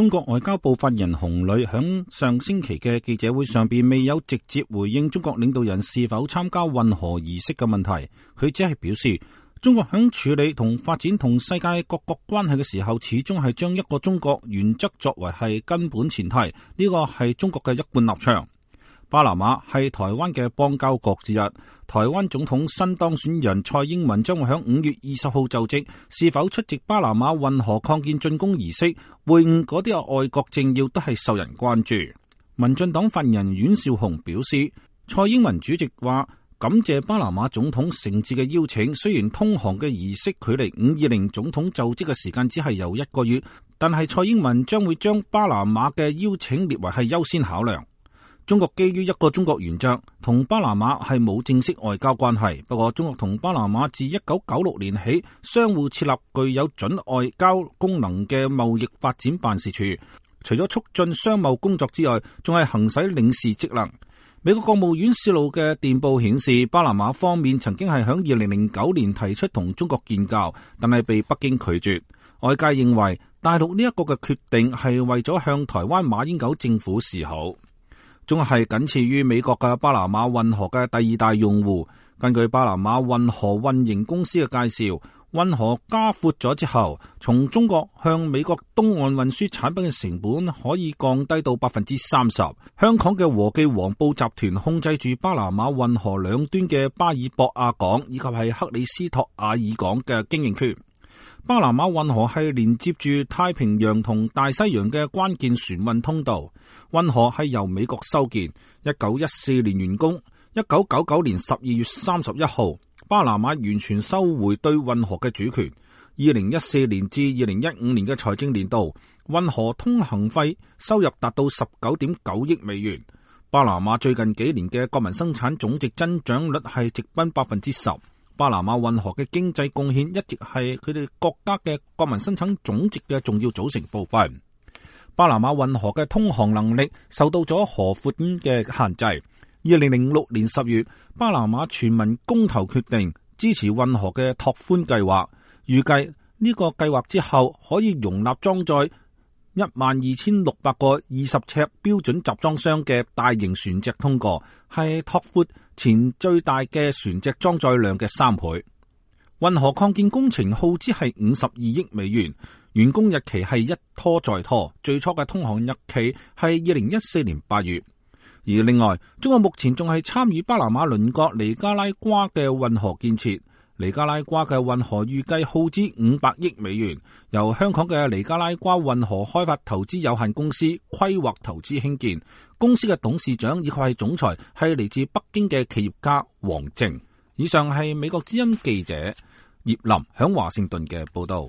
中國外交部發言人洪磊響上星期嘅記者會上邊未有直接回應中國領導人是否參加運河儀式嘅問題，佢只係表示中國響處理同發展同世界各國關係嘅時候，始終係將一個中國原則作為係根本前提，呢個係中國嘅一貫立場。巴拿馬係台灣嘅邦交國之一，台灣總統新當選人蔡英文將會喺5月20號就職，是否出席巴拿馬運河擴建竣工儀式，會晤嗰啲外國政要都係受人關注。民進黨發言人阮兆雄表示，蔡英文主席話感謝巴拿馬總統誠摯嘅邀請，雖然通航嘅儀式距離520總統就職嘅時間只係有1個月，但係蔡英文將會將巴拿馬嘅邀請列為係優先考量。中國基於一個中國原則，同巴拿馬係冇正式外交關係。不過，中國同巴拿馬自1996年起相互設立具有準外交功能嘅貿易發展辦事處，除咗促進商貿工作之外，仲係行使領事職能。美國國務院泄露嘅電報顯示，巴拿馬方面曾經係響2009年提出同中國建交，但係被北京拒絕。外界認為大陸呢一個嘅決定係為咗向台灣馬英九政府示好。中國係僅次於美國嘅巴拿馬運河嘅第2大用戶。根據巴拿馬運河運營公司嘅介紹，運河加闊咗之後，從中國向美國東岸運輸產品嘅成本可以降低到30%。香港嘅和記黃埔集團控制住巴拿馬運河兩端嘅巴爾博亞港以及係克里斯托亞爾港嘅經營權。巴拿馬運河係連接住太平洋同大西洋嘅關鍵船運通道。運河係由美國修建，1914年完工，1999年12月31號，巴拿馬完全收回對運河嘅主權。2014年至2015年嘅財政年度，運河通行費收入達到19.9億美元。巴拿馬最近幾年嘅國民生產總值增長率係直奔10%。巴拿馬運河嘅經濟貢獻一直係佢哋國家嘅國民生產總值嘅重要組成部分。巴拿馬運河嘅通航能力受到咗河闊嘅限制。2006年10月，巴拿馬全民公投決定支持運河嘅拓寬計劃，預計呢個計劃之後可以容納裝載12600個20尺標準集裝箱嘅大型船隻通過，係拓闊前最大嘅船隻裝載量嘅3倍。運河擴建工程耗資係52億美元，完工日期係一拖再拖，最初嘅通航日期係2014年8月。而另外，中國目前仲係參與巴拿馬鄰國尼加拉瓜嘅運河建設。尼加拉瓜嘅運河預計耗資500億美元，由香港嘅尼加拉瓜運河開發投資有限公司規劃投資興建。公司嘅董事長以及係總裁係嚟自北京嘅企業家黃正。以上係美國之音記者葉林響華盛頓嘅報道。